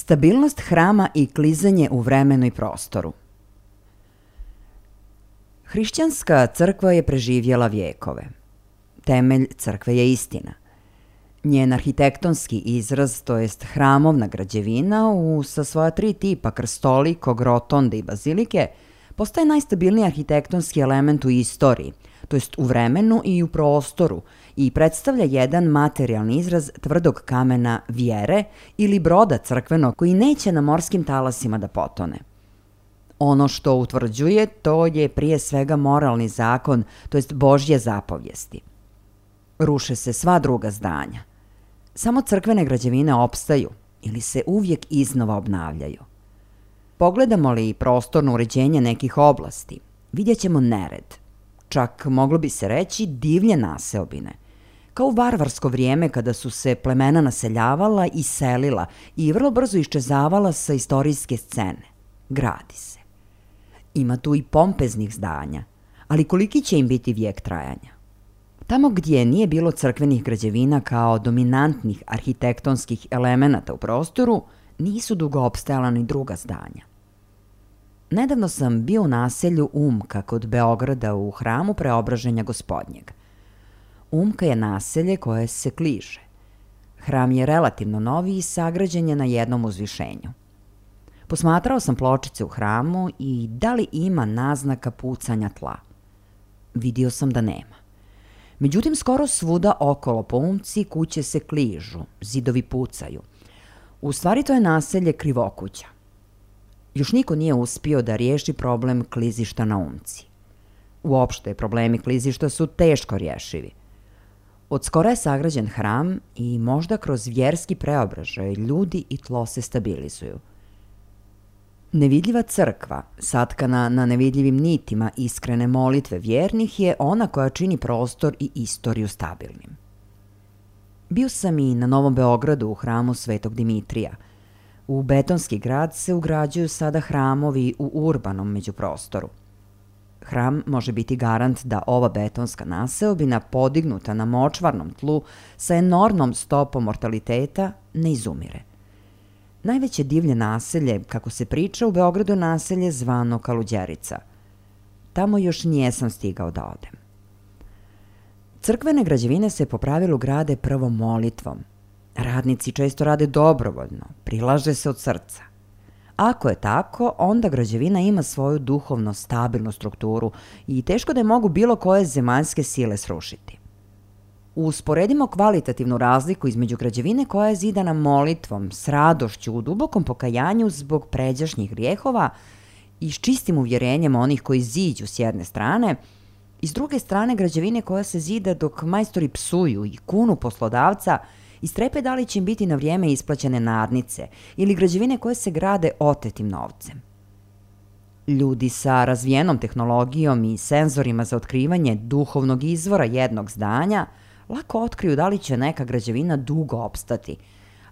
Stabilnost hrama i klizanje u vremenu i prostoru. Hrišćanska crkva je preživjela vjekove. Temelj crkve je istina. Njen arhitektonski izraz, to jest hramovna građevina, sa svoja 3 tipa krstolikog, rotonde i bazilike, postaje najstabilniji arhitektonski element u istoriji, to jest u vremenu i u prostoru, i predstavlja jedan materijalni izraz tvrdog kamena vjere ili broda crkvenog koji neće na morskim talasima da potone. Ono što utvrđuje, to je prije svega moralni zakon, to jest Božje zapovijesti. Ruše se sva druga zdanja. Samo crkvene građevine opstaju ili se uvijek iznova obnavljaju. Pogledamo li prostorno uređenje nekih oblasti, vidjet ćemo nered. Čak moglo bi se reći divlje naseobine. Kao u varvarsko vrijeme kada su se plemena naseljavala i selila i vrlo brzo iščezavala sa istorijske scene. Gradi se. Ima tu i pompeznih zdanja, ali koliki će im biti vijek trajanja? Tamo gdje nije bilo crkvenih građevina kao dominantnih arhitektonskih elemenata u prostoru, nisu dugo opstajala ni druga zdanja. Nedavno sam bio u naselju Umka kod Beograda u hramu Preobraženja Gospodnjeg. Umka je naselje koje se kliže. Hram je relativno novi i sagrađen je na jednom uzvišenju. Posmatrao sam pločice u hramu i da li ima naznaka pucanja tla. Vidio sam da nema. Međutim, skoro svuda okolo po Umci kuće se kližu, zidovi pucaju. U stvari to je naselje Krivokuća. Još niko nije uspio da riješi problem klizišta na Umci. Uopšte, problemi klizišta su teško rješivi. Od skora je sagrađen hram i možda kroz vjerski preobražaj ljudi i tlo se stabilizuju. Nevidljiva crkva, satkana na nevidljivim nitima iskrene molitve vjernih, je ona koja čini prostor i istoriju stabilnim. Bio sam i na Novom Beogradu u hramu Svetog Dimitrija. U betonski grad se ugrađuju sada hramovi u urbanom međuprostoru. Hram može biti garant da ova betonska naseobina, podignuta na močvarnom tlu sa enormnom stopom mortaliteta, ne izumire. Najveće divlje naselje, kako se priča, u Beogradu je naselje zvano Kaluđerica. Tamo još nijesam stigao da odem. Crkvene građevine se po pravilu grade prvo molitvom. Radnici često rade dobrovoljno, prilaže se od srca. Ako je tako, onda građevina ima svoju duhovno stabilnu strukturu i teško da je mogu bilo koje zemaljske sile srušiti. Usporedimo kvalitativnu razliku između građevine koja je zidana molitvom, s radošću, u dubokom pokajanju zbog pređašnjih grijehova i s čistim uvjerenjem onih koji ziđu s jedne strane, i s druge strane građevine koja se zida dok majstori psuju i kunu poslodavca i strepe da li će im biti na vrijeme isplaćene nadnice, ili građevine koje se grade otetim novcem. Ljudi sa razvijenom tehnologijom i senzorima za otkrivanje duhovnog izvora jednog zdanja lako otkriju da li će neka građevina dugo opstati,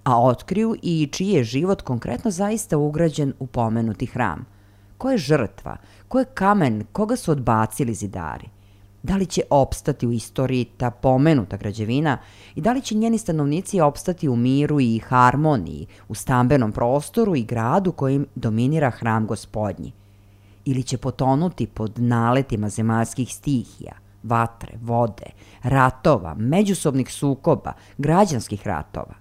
a otkriju i čiji je život konkretno zaista ugrađen u pomenuti hram. Ko je žrtva, ko je kamen, koga su odbacili zidari? Da li će opstati u istoriji ta pomenuta građevina i da li će njeni stanovnici opstati u miru i harmoniji, u stambenom prostoru i gradu kojim dominira hram Gospodnji? Ili će potonuti pod naletima zemaljskih stihija, vatre, vode, ratova, međusobnih sukoba, građanskih ratova?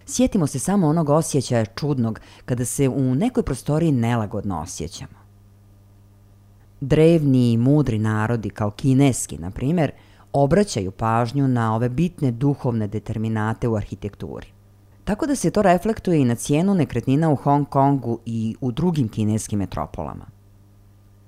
Sjetimo se samo onog osjećaja čudnog kada se u nekoj prostoriji nelagodno osjećamo. Drevni i mudri narodi, kao kineski, na primjer, obraćaju pažnju na ove bitne duhovne determinate u arhitekturi. Tako da se to reflektuje i na cijenu nekretnina u Hong Kongu i u drugim kineskim metropolama.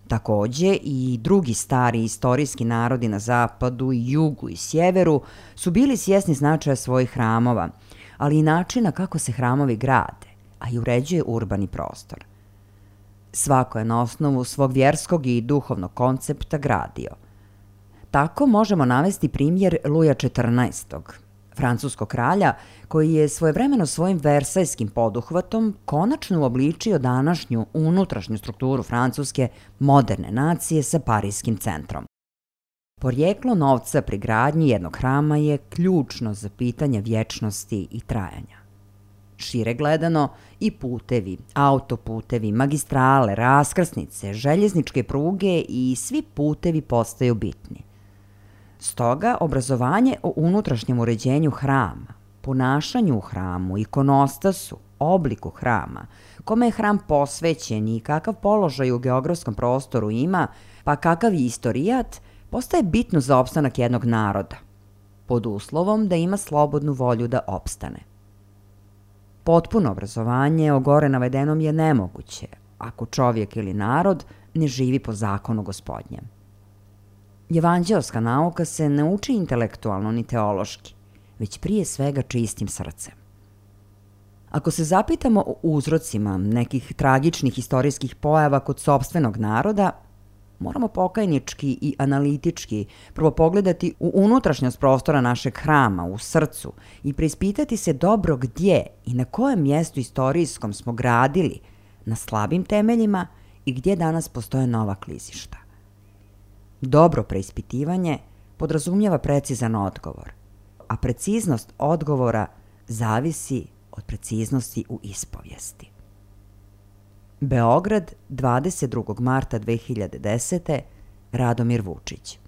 Također i drugi stari istorijski narodi na zapadu, jugu i sjeveru su bili svjesni značaja svojih hramova, ali i načina kako se hramovi grade, a i uređuje urbani prostor. Svako je na osnovu svog vjerskog i duhovnog koncepta gradio. Tako možemo navesti primjer Luja XIV, francuskog kralja, koji je svojevremeno svojim versajskim poduhvatom konačno uobličio današnju unutrašnju strukturu francuske moderne nacije sa parijskim centrom. Porijeklo novca pri gradnji jednog hrama je ključno za pitanje vječnosti i trajanja. Šire gledano, i putevi, autoputevi, magistrale, raskrsnice, željezničke pruge i svi putevi postaju bitni. Stoga, obrazovanje o unutrašnjem uređenju hrama, ponašanju u hramu, ikonostasu, obliku hrama, kome je hram posvećen i kakav položaj u geografskom prostoru ima, pa kakav je istorijat, postaje bitno za opstanak jednog naroda, pod uslovom da ima slobodnu volju da opstane. Potpuno obrazovanje o gore navedenom je nemoguće, ako čovjek ili narod ne živi po zakonu Gospodnjem. Evanđeoska nauka se ne uči intelektualno ni teološki, već prije svega čistim srcem. Ako se zapitamo o uzrocima nekih tragičnih istorijskih pojava kod sopstvenog naroda, moramo pokajnički i analitički prvo pogledati u unutrašnjost prostora našeg hrama, u srcu, i preispitati se dobro gdje i na kojem mjestu istorijskom smo gradili na slabim temeljima i gdje danas postoje nova klizišta. Dobro preispitivanje podrazumijeva precizan odgovor, a preciznost odgovora zavisi od preciznosti u ispovijesti. Beograd, 22. marta 2010. Radomir Vučić.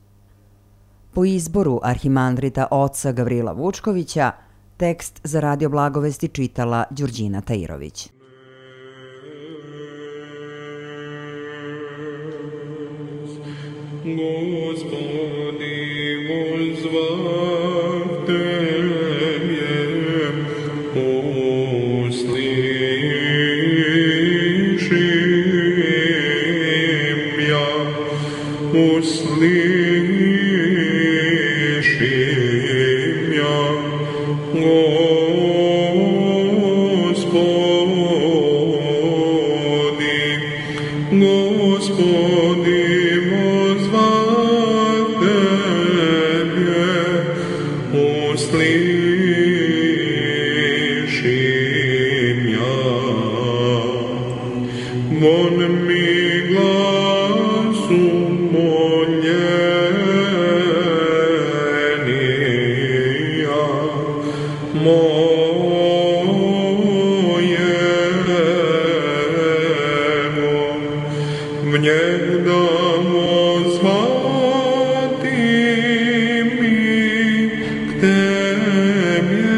Po izboru arhimandrita oca Gavrila Vučkovića, tekst za Radio Blagovesti čitala Đurđina Tairović. Господи, возвав Тебе, услышим я, Господи, возвав Тебе, услышим я. Вон ми гласу моления моего, внегда возвати ми к Тебе,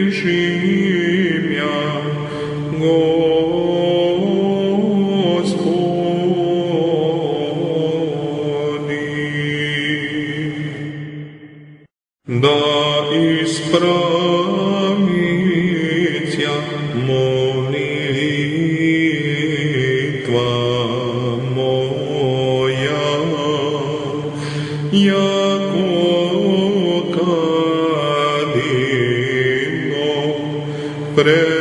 услышим я, Господи. Да исправится молитва моя, яко кадино пред